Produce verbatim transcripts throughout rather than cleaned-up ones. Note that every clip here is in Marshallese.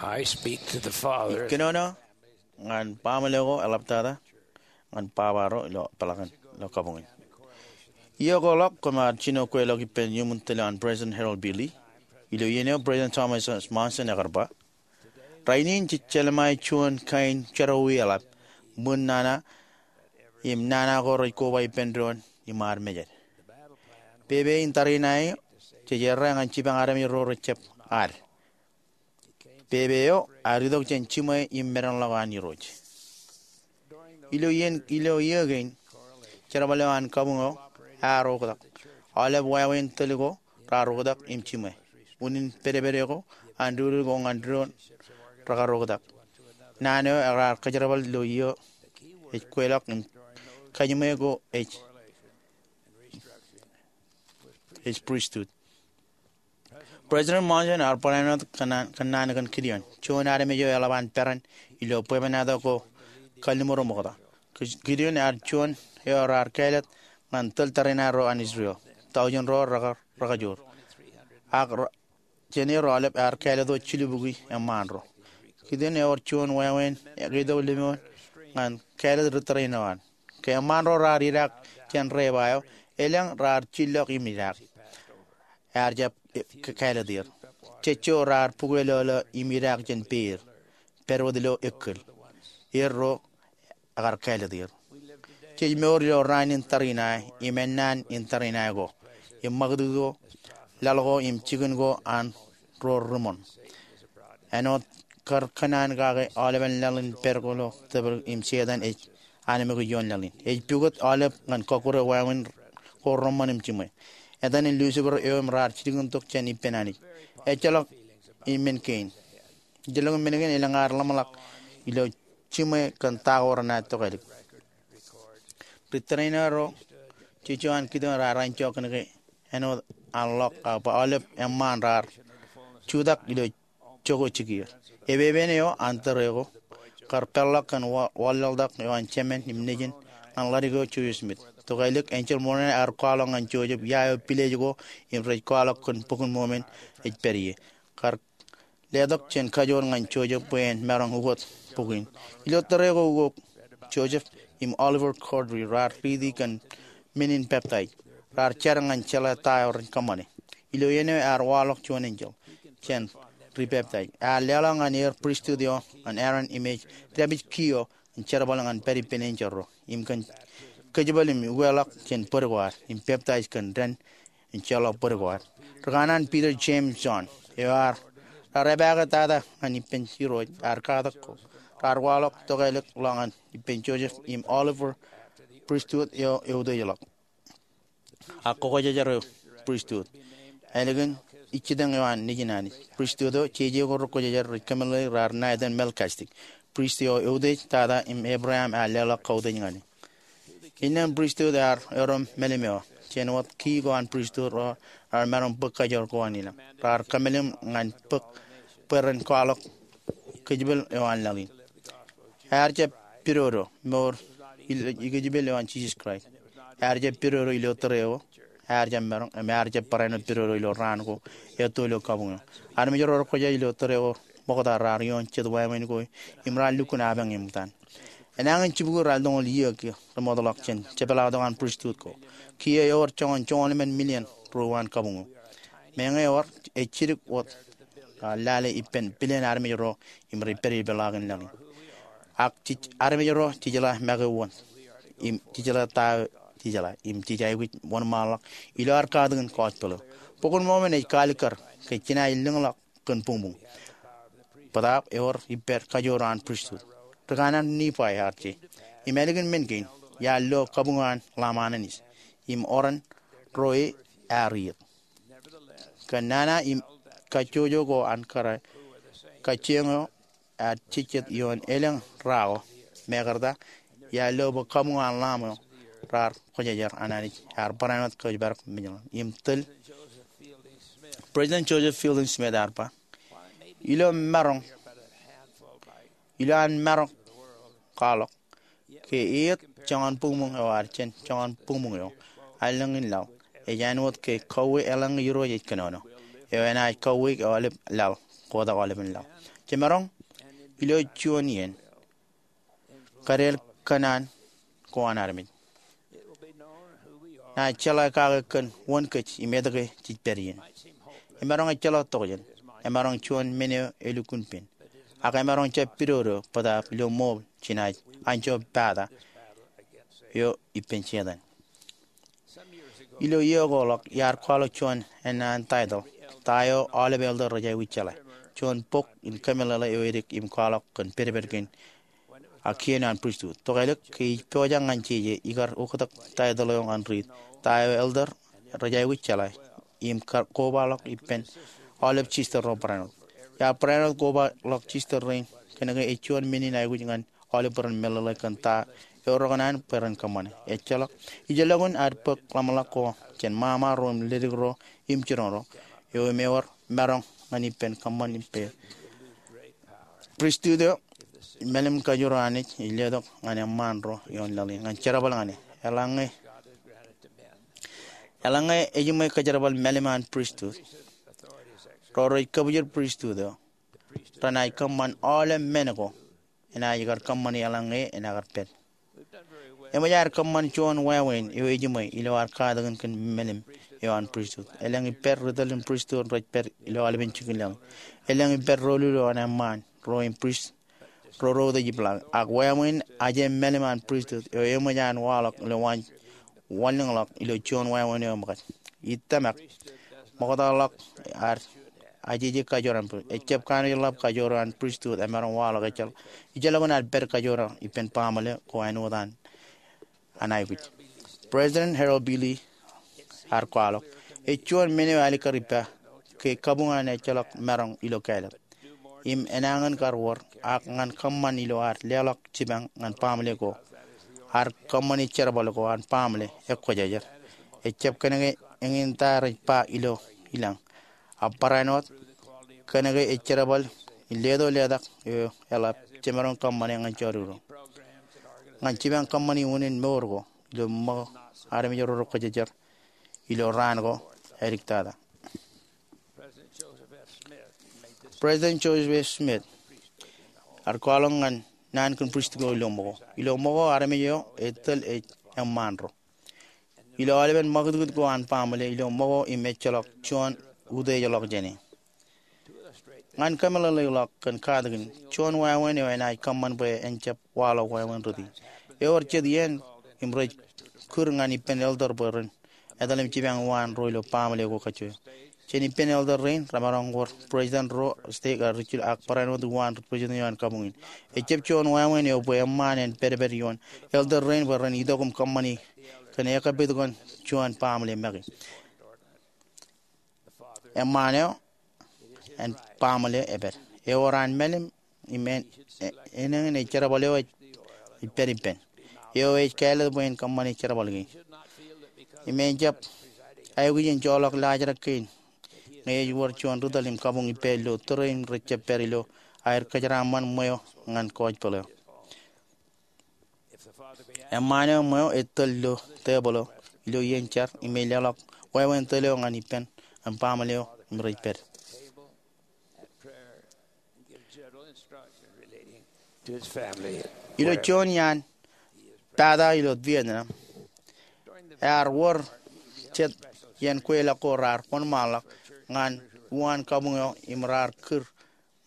I speak to the fathers. Ij kōnono ñan baaṃle ko eḷaptata ñan baba ro ilo peḷaakin ilo kabuñ in. Iiō ko ḷọk koṃ ar jino kweilọk ippān iuṃwin tōl eo an President Harold B. Lee. Ilo iien eo President Thomas S. Monson ekar ba, rainin jej jelṃae juon kain jerọwiwi eḷap ṃwiin nana im nana ko rej koba ippān doon im ad mejed. Pepe in tariṇae eo jej errā ñan jipañ armej ro rejjab ad. Pepe eo ear itok jān jiṃwe im medenḷọk an Irooj. Ilo iien, ilo iiō kein, jerbal eo an kabuñ eo ear oktak. Aolep wāween tōl ko raar oktak im jiṃwe. Unin pedepede ko an dudud ko ñan doon rekar oktak. Naan eo raar kōjerbal ilo iiō ej kweilọk im kajiṃwe ko ej, ej pristut. President Monson ear barāinwōt kōnnaan, kōnnaan kōn Gideon, juon armej eo eḷap an peran ilo bwebwenato ko kalliṃur ṃokta. Gideon ear juon eo raar kāālōt ñan tōl tariṇae ro an Israel. Tọujin ro rekar, rekajoor. Ak ro, jān er aolep ear kāālōt wōt jilubukwi eṃṃaan ro. Gideon ewōr juon wāween ketok lemñoul ñan kāālōt ri tōrein eo an. Ke eṃṃaan ro raar idaak jān reeba eo, elōñ raar jillọk im idaak. Ear jab, e, k-, kāālōt er. Jejjo raar bukwelōlō im idaak jān peer, pād wōt ilo ekkōl. Er ro ekar kāālōt er. Jej mour ilo raan in tariṇae, im ennaan in tariṇae ko, im ṃakūtkūt ko, laḷ ko, im jikin ko an ro ri ṃoṇ. Āinwōt kar kōnnaan kake aolepen laḷ in pād ko ilo tōprak im Setan ej anemkwōj ioon laḷ in. Ej pukot aolep ñan kọkkure wāween ko reṃṃan im jiṃwe. Etan in Lucifer eo im raar jilkintok jān ippān Anij. Ejjeḷọk iṃaan kein. Ejjeḷọk iṃaan kein elōñ ad ḷōmṇak ilo jiṃwe kōn ta ko renaaj tokālik. Ri tōrein ro jejjo an Gideon raar enjọk kōn ke āinwōt an ḷọk ak bwe aolep eṃṃaan raar jutak ilo jokwe jikier. Epepen eo an tōre ko kar peḷḷọk kōn wa-, wanlaḷtak eo an jemān im nejin ñan ḷadik eo Joseph Smith. Tokālik enjeḷ ṃoṇe ear kwaḷọk ñan Joseph ia eo pilej ko im rej kwaḷọk kōn Bok in Mormon ej pād ie. Kar letok jān kajoor ñan Joseph bwe en maroñ ukot bok in. Ilo tōre ko ukok, Joseph im Oliver Cowdery raar riiti kōn men in peptaij. Raar jar ñan jeḷā ta eo ren kōṃṃane. Ilo iien eo ear waḷọk juon enjeḷ jān ri peptaij. Ear leḷọk ñan er pristut eo an Aaron im ej dāpij key eo in jerbal ñan pād ippān enjeḷ ro im kōn kōjepel im ukeḷọk jān bōd ko ad im peptaij kōn dān in jeḷọk bōd ko ad. Ri kanaan Peter, James, John eo raar epaake tata ñan ippān Irooj ear katak ko raar waḷọk tokālik ḷọk ñan ippān Joseph im Oliver pristut eo eutiejḷọk. Ak kwōjejer eo pristut ālikin ijjitōñ eo an Nejin Anij. Pristut eo jeje ko rekwōjejer rej kōmeḷeḷeik raar ṇa etan Melchizedek, prist eo eutiej tata im Abraham ear leḷọk kautiej ñan e. Innām pristut ear erom mālim eo, jān wōt key ko an pristut ro raar maroñ bōk kajoor ko an ilañ. Raar kōmālim ñan bōk bwe ren kwaḷọk kōjepel eo an laḷ in. Ear jab pidodo mour ilo ikōjepel eo an Jisōs Kraist. Ear jab pidodo ilo tōre ko. Ear jab maroñ, im ear jab barāinwōt pidodo ilo raan ko etto ilo kabuñ eo. Armej ro rekwōjeḷ ilo tōre ko ṃokta raar ioon jet wāween ko im raar lukkuun apañ eṃōj an. Enañin jibukwi raar toñoul iiō ke remootḷọk jān jepḷaaktok an pristut ko. Kiiō ewōr joñan joñoul emān million ruo an kabuñ eo. Meñe ewōr ej jidik wōt, a, lale ippān billion armej ro im rej pād ippaḷaakin laḷ in. Ak jej armej ro jejeḷā make wōn im jejeḷā ta eo jejeḷā im jej aikuj wōnṃaanḷọk ilo ad katakin kọọj bōlo. Bok in Mormon ej kaalikkar ke jenaaj lōñḷọk kōn buñbuñ. Bōtaab ewōr ippād kajoor an pristut. Ri kanaan Nifai ear je. Im ālikin men kein, iar lo kabuñ eo an Lamb an Anij. Im oran ro e ear iiet. Kōn nana im kajjojo ko an kōrā, kajjioñ eo ear jejjet ioon elōñ ra ko. Mekarta, iar lo bwe kabuñ eo an Lamb eo raar kwōjejer an Anij ear barāinwōt kōjparok mejān im tōl. President Joseph Fielding Smith ear ba, ilo maroñ, ilo an maroñ kwaḷọk ke eiet joñan buñbuñ eo ad jān joñan buñbuñ eo, allōñ in laḷ ej āinwōt ke kauwe eḷaññe Irooj ej kōnono, eo enaaj kauwe aolep laḷ kotak aolepen laḷ. Jemaroñ ilo juon iien kadeḷ kōṇaan ko an armej. Naaj jeḷā kake kōn wōn kōj im etke jej pād iien. Emaroñ ejjeḷọk tokjān. Emaroñ juon men eo elukkuun pen. Ak emaroñ jab pidodo bōtaab ilo ṃool jenaaj anjọ pata eo ippān Setan. Ilo iiō ko ḷọk iar kwaḷọk juon ennaan taitōḷ, Ta Eo Aolep Elder Rej Aikuj Jeḷā, juon bok in kōmeḷeḷe eo edik im kwaḷọk kōn pedped kein ak kien an pristut. Tokālik ke ij pojak ñan jeje ikar oktak taitōḷ eo ñan riit, Ta Eo Elder Rej Aikuj Jeḷā, im kar kobaḷọk ippān aolep sister ro barāinwōt. Iar barāinwōt kobaḷọk sister rein kōnke ej juon men in aikuj ñan aolep bwe ren meḷeḷe kōn ta eo rekōṇaan bwe ren kōṃṃane. Ejjeḷọk, ij lukkuun ad bōk ḷōmṇak ko jān ṃaṃa ro im ledik ro im jiroñ ro eo im ewōr maroñ ñan ippān kōṃṃan ippān pristut eo. Mālim kajoor eo Anij ej letok ñan eṃṃaan ro ioon laḷ in ñan jerbal ñan e. Eḷaññe, eḷaññe ejiṃwe kōjerbal mālim an pristut, ro rej kōbwijin pristut eo renaaj kōṃṃan aolep men ko enaaj kar kōṃṃani eḷaññe enaaj kar pād. Eṃōj ad kōṃṃan juon wāween eo ejiṃwe ilo ad katakin kōn mālim eo an pristut. Elōñ ippād ri tōl in pristut rej pād ilo aolepen jikin laḷ in. Elōñ ippād ro lulu an eṃṃaan ro im prist ro rej ej iblaak. Ak wāween ajej mālim an pristut eo eṃōj an waḷọk ilo waanjoñak wanlōñḷọk ilo juon wāween eo ṃōkaj. Ij tōmak ṃoktaḷọk ad ajeje kajoor an pristut. Ejjab kanooj ḷap kajoor an pristut emaroñ waḷọk ejjeḷọk. Ij lukkuun ad pād kajoor ippān baaṃle ko āinwōt an an aikuj. President Harold B. Lee ear kwaḷọk, ej juon men eo alikkar ippa ke kabuñ an ejjeḷọk maroñ ilo kāālōt im enañin kar wōr ak ñan kōṃṃan ilo ad leḷọk jipañ ñan baaṃle ko. Ad kōṃṃani jerbal ko an baaṃle ekwōjarjar. Ejjab kōnke eñin ta rej ba ilo ilañ, ak barāinwōt kōnke ej jerbal in leto letak eo eḷap jemaroñ kōṃṃane ñan jọteen ro. Ñan jipañ kōṃṃani unin mour ko ilo ṃōko armej ro rekwōjarjar ilo raan ko āliktata. President Joseph F. Smith ear kwaḷọk ñan naan kōn pristut ko ilo ṃōko. Ilo ṃōko armej eo etōl ej eṃṃaan ro. Ilo aolepen ṃakūtkūt ko an baaṃle ilo ṃōko im ejjeḷọk juon utiejḷọk jāne. Ñan kōmeḷeḷeik ḷọk kōn katakin, juon wāween eo enaaj kōṃṃan bwe en jab waḷọk wāween rūtto. Ewōr jet iien im rej kūr ñan ippān elder bwe ren etal im jipañ uwaan ro ilo baaṃle ko kajjojo. Jān ippān elder rein remaroñ wōr president ro, stake, ak rijjilōk ak barāinwōt uwaan president eo an kabuñ in. Ejjab juon wāween eo bwe eṃṃaan en pedped ioon elder rein bwe ren itok im kōṃṃani kōn ekkā pād kōn juon baaṃle make. Eṃṃaan eo an baaṃle epād. Ewōr an mālim im en, e, enañin ej jerbal eo ej, ej pād ippān. Eo ej kāālōt bwe en kōṃṃane jerbal kein. Im en jab aikuj in joḷọk laajrak kein ñe ej wōr juon ri tōl im kabuñ ippāer ilo tōre im rej jab pād ilo aer kōjeraaṃṃan ṃweo ñan gospel eo. Eṃṃaan eo ṃweo ej tōl ilo tebōḷ eo ilo iien jar im ej leḷọk wāween tōl eo ñan ippān an baaṃle eo im rej pād. Ilo juon iaan pata ilo Vietnam, ear wōr jet iien kweilọk ko raar wōnṃaanḷọk ñan uwaan kabuñ eo im raar kūr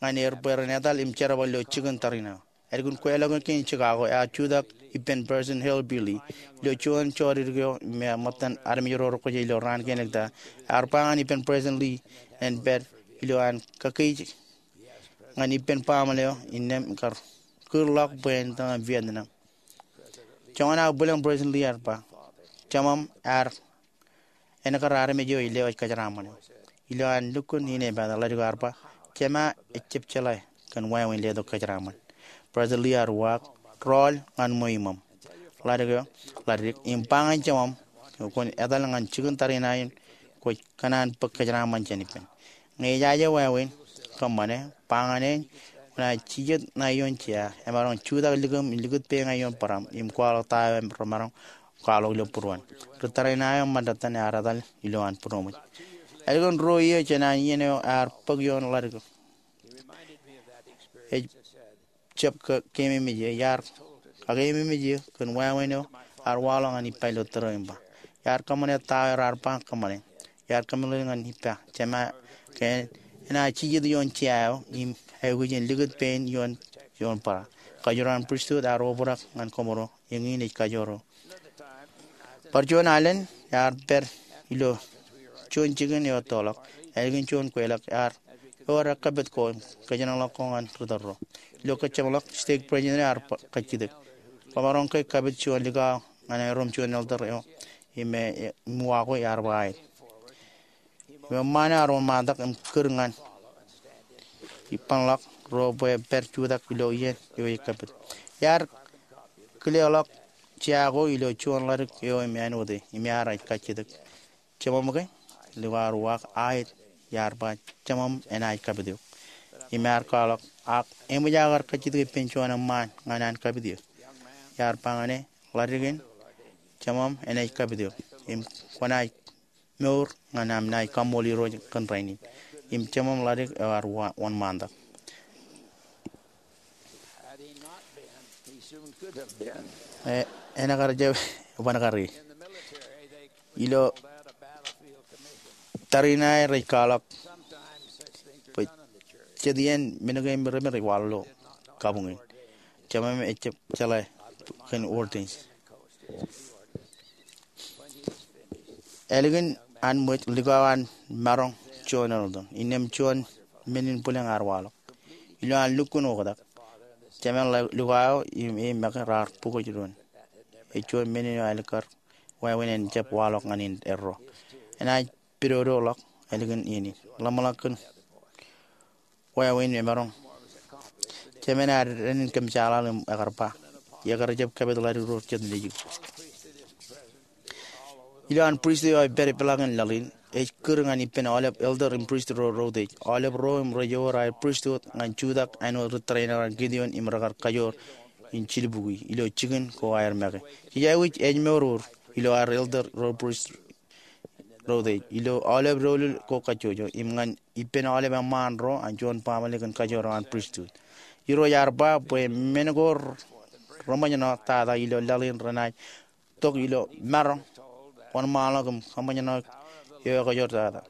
ñan er bwe ren etal im jerbal ilo jikin tariṇae. Ālikin kweilọk kein Chicago, ear jutak ippān President Harold B. Lee ilo juon jọdidik eo im ṃōttan armej ro rekwōjarjar ilo raan kein āliktata. Ear ba ñan ippān President Lee en pād ilo an kakkije ñan ippān baaṃle eo innām kar kūrḷọk bwe en tōñan Vietnam. Joñan aō bwilōñ President Lee ear ba, Jemām ear enōkar armej eo ej lewōj kōjeraaṃṃan eo. Ilo an lukkuun inepata, ḷadik eo ear ba, Jema ejjab jeḷā kōn wāween letok kōjeraaṃṃan. President Lee ear uwaak, Rọọl ñan ṃweo iṃōṃ, ḷadik eo, ḷadik, im ba ñan jemām kwōn etal ñan jikin tariṇae in kwōj kōṇaan bōk kōjeraaṃṃan jān ippān. Ñe ejaje wāween kōṃṃane, ba ñan e, Kwōnaaj jijet ṇae ioon jea, emaroñ jutak likūṃ im likūt peeñe ioon bōraṃ im kwaḷọk ta eo remaroñ kwaḷọk ilo būruon. Ri tariṇae eo ṃandetan ear etal ilo an būroṃōj. Ālikin ruo iiō jān an iien eo ear bōk ioon ḷadik eo, Ej jab ke, keememej eō, iar kakeememej eō kōn wāween eo ear waḷọk ñan ippa ilo tōre in ba. Iar kōṃṃane ta eo raar ba kōṃṃane. Iar kōmeḷeḷe ñan ippa, Jema, ke enaaj jijet ioon jea eo im aikuj in likūt pein ioon, ioon bōra. Kajoor an pristut ear obrak ñan koṃro, eñin ej kajoor eo. Bar juon alen, iar pād ilo juon jikin eo ettoḷọk, ālikin juon kweilọk, iar ewōr ekkapit ko im kōjenolọk ko ñan ri tōl ro. Ilo kōjjeḷọk, stake president ear ba, kajjitōk, kwōmaroñ ke kapit juon likao ñan erom juon elder eo im e, im uwaak ko iar ba aet. Im eṃṃaan eo ear wōnṃaantak im kūr ñan ippānḷọk ro bwe epād jutak ilo iien eo ej kapit. Iar kileḷọk jea ko ilo juon ḷadik eo im āinwōt e, im iar ej kajjitōk, Jeṃaṃ ke? Likao ear uwaak aet, iar ba, Jeṃaṃ enaaj kapit eok. Im ear kwaḷọk, ak eṃōj aō kar kajjitōk ippān juon eṃṃaan ñan an kapit eō? Iar ba ñan e, Ḷadik in, Jeṃaṃ enaaj kapit eok. Im kwōnaaj mour ñan am naaj kaṃṃool Irooj kōn rainin. Im jeṃaṃ ḷadik eo ear wa-, wōnṃaantak. E, enaaj kar jab, ban kar e. Ilo tariṇae rej kwaḷọk bwe jet iien men kein remeremein rej waḷọk ilo kabuñ in. Jeṃaṃ ejjab jeḷā kōn ordain. Ālikin an ṃōj, likao an maroñ juon elder. Innām juon men in bwilōñ ear waḷọk. Ilo an lukkuun oktak, jemān likao eo im e make raar bukōj doon. Ej juon men eo ālikkar wāween en jab waḷọk ñan in erro. Enaaj pidodoḷọk ālikin iien in. Ḷōmṇak kōn wāween emaroñ. Jemān ear dān in kōmjaaḷaḷ im ekar ba, Iọkwe, ij jab kapit ḷadik ro jet nejū. Ilo an pristut eo ej pād ipḷaak in laḷ in, ej kūr ñan ippān aolep elder im pristut ro reutiej. Aolep ro im rej ewōr aer pristut ñan jutak āinwōt ri tōrein eo an Gideon im rekar kajoor in jilbuki ilo jikin ko aer make. Jej aikuj ejmour ilo aer elder ro pristut reutiej ilo aolep doulul ko kajjojo im ñan ippān aolep eṃṃaan ro an juon baaṃle kōn kajoor eo an pristut. Irooj ear ba bwe men ko reṃōjṇọ tata ilo laḷ in renaaj tok ilo maroñ, wōnṃaanḷọk im kōṃṃōjṇọ eo ekajoor tata.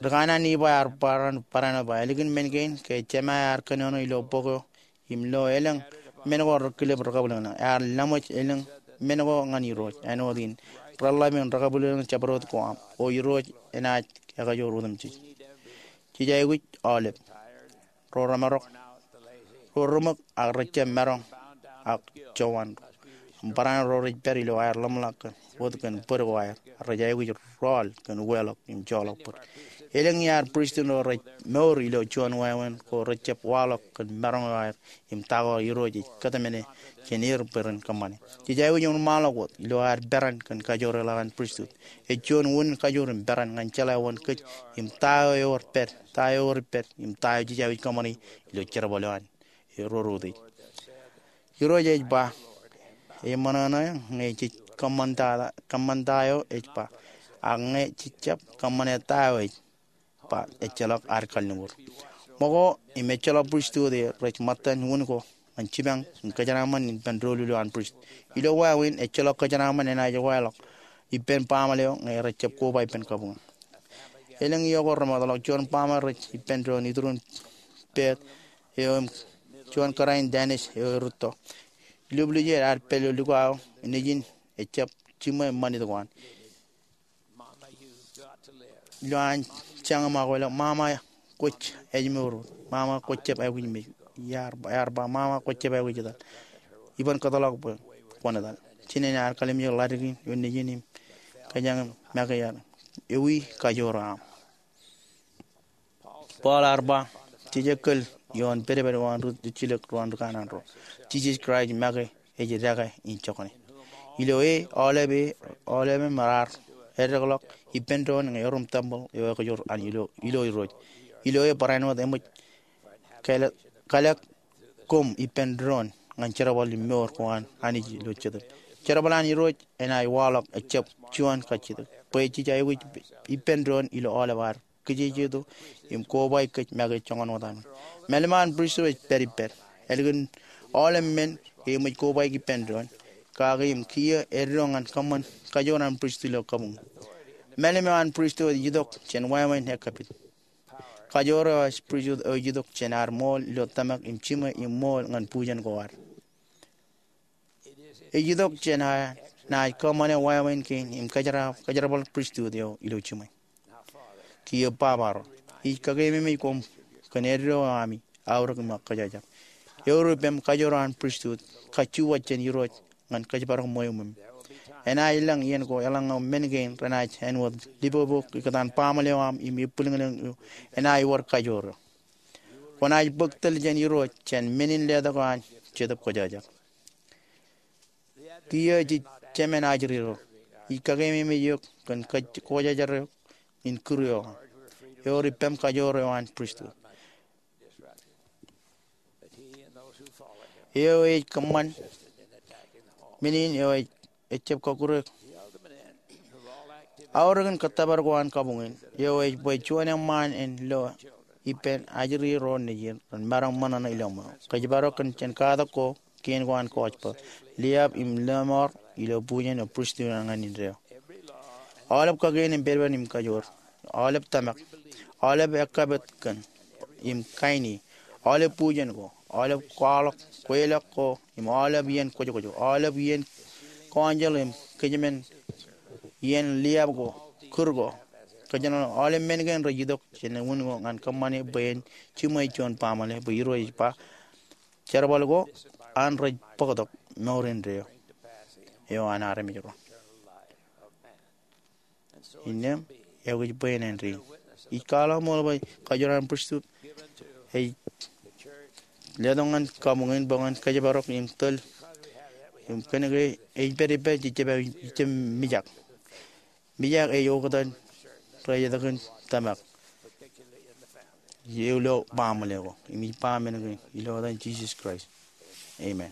Ri kanaan Nifai ear barāinwōt ba, ālikin men kein, ke Jema ear kōnono ilo bok eo im lo elōñ men ko rekilep rekabwilōñlōñ, ear laṃōj elōñ men ko ñan Irooj āinwōt in reḷḷap in rekabwilōñlōñ jabdewōt ko aṃ, o Irooj enaaj ekajoor otemjej. Jej aikuj aolep ro remarok, ro reṃōk ak rejjab maroñ ak jowan ro. Im barāinwōt ro rej pād ilo aer ḷōmṇak kōn wōt kōn bōd ko aer, rej aikuj rọọl kōn weḷọk im joḷọk bōd. Elōñ iaad pristut ro rej mour ilo juon wāween ko rejjab waḷọk kōn maroñ eo aer im ta ko Irooj ej kōtmāne jān er bwe ren kōṃṃane. Jej aikuj wōnṃaanḷọk wōt ilo aer peran kōn kajoor eo ḷọk an pristut. Ej juon unin kajoor im peran ñan jeḷā wōn kōj im ta eo ewōr pād, ta eo ewōr pād im ta eo jej aikuj kōṃṃane ilo jerbal eo an ro reutiej. Irooj ej ba, eṃṃan eṇ ñe jej kōṃṃan ta, kōṃṃan ta eo ej ba, ak ñe jej jab kōṃṃane ta eo ej ba, ejjeḷọk ad kalliṃur. Ṃōko im ejjeḷọk pristut e rej ṃōttan unin ko ñan jipañ im kōjeraaṃṃan ippān doulul eo an pristut. Ilo wāween, ejjeḷọk kōjeraaṃṃan enaaj waḷọk ippān baaṃle eo ñe rejjab koba ippān kabuñ. Elōñ iiō ko remootḷọk, juon baaṃle rej ippān doon iturin peet eo im juon kōrā in Danish eo erūtto. Ilubwiljel ad pād ilo likao eo nejin ejjab jiṃwe ṃanit ko an. Ilo an jañin ṃakoḷọk, Mama, kwōj ejmour. Mama, kwōj jab aikuj mej. Iar, iar ba, Mama, kwōj jab aikuj etal. Iban kōtḷọk bwe kwōn etal. Jinen ear kallimjek ḷadik in ioon nejin im kōjañin make iar ewi kajoor eo aṃ. Paul ear ba, jej kōl ioon pedped eo an ri jilōk ro an ri kanaan ro. Jisōs Kraist make ej dekā in jokane. Ilo e, aolep e, aolep im raar eddekḷọk ippān doon ñe erom tempel eo ekajoor an ilo, ilo Irooj. Ilo e barāinwōt eṃōj kalōk, kalōk koṃ ippān doon ñan jerbal im mour ko an Anij ilo jetōb. Jerbal an Irooj enaaj waḷọk ejjab juon kajjitōk. Bwe jej aikuj ippān doon ilo aolep ad kijejeto im kobaik kōj make joñan wōt aṃ. Mālim eo an pristut ej pād ippād. Ālikin aolep men ke eṃōj kobaik ippān doon, kake im kiiō eddo ñan kōṃṃan kajoor an pristut ilo kabuñ. Mālim eo an pristut ej itok jān wāween ekkapit. Kajoor eo an pristut eo ej itok jān ad ṃool ilo tōmak im jiṃwe im ṃool ñan bujen ko ad. Ej itok jān ad naaj kōṃṃane wāween kein im kōjeraab kōjerbal pristut eo ilo jiṃwe. Kiiō Baba ro, ij kakeememej koṃ kōn eddo eo ami aorōk im kōjajar. Ewōr ippem kajoor eo an pristut, kajju wōt jān Irooj ñan kōjparok ṃweo ṃweo. Enaaj lōñ iien ko eḷaññe men kein renaaj āinwōt lipobo ikōtaan baaṃle eo aṃ im ebwilōñlōñ eo enaaj wōr kajoor eo. Kwōnaaj bōk tōl jān Irooj jān men in letok eo an Jetōb Kwōjarjar. Kiiō jej jemān ajri ro, ij kakeememej eok kōn kōj- kwōjarjar eok in kūr eo aṃ. Ewōr ippem kajoor eo an pristut. Eo ej kōṃṃan men in eo ej ejjab kọkkure aorōkin kōttōpar ko an kabuñ in. Eo ej bwe juon eṃṃaan en lo ippān ajri ro nejin ren maroñ ṃōṇōṇō ilo ṃweo. Kōjparok kōn jān katak ko, kien ko an gospel, liab im lọmọọr ilo bujen eo pristut an ñan indeeo. Aolep kakien im pedped im kajoor, aolep tōmak, aolep ekkapit kōn im kain e, aolep bujen ko, aolep kwaḷọk kweilọk ko im aolep iien kwōjkwōj, aolep iien council im kōjmān iien liab ko, kūr ko, kōjnọnọk, aolep men kein rej itok jān wūn ko ñan kōṃṃane bwe en jiṃwe juon baaṃle bwe Irooj ej ba, jerbal ko an rej bōktok mour indeeo eo an armej ro. Innām, eo ej bwe en āindein. Ij kwaḷọk ṃool bwe kajoor an pristut ej letok ñan kabuñ in bwe ñan kōjparok im tōl im kōnke ej pād ippād jej jab, jej jab mijak. Mijak ej oktak rej etōk in tōmak ilo baaṃle ko. Im ij ba men kein ilo etan Jisōs Kraist. Amen.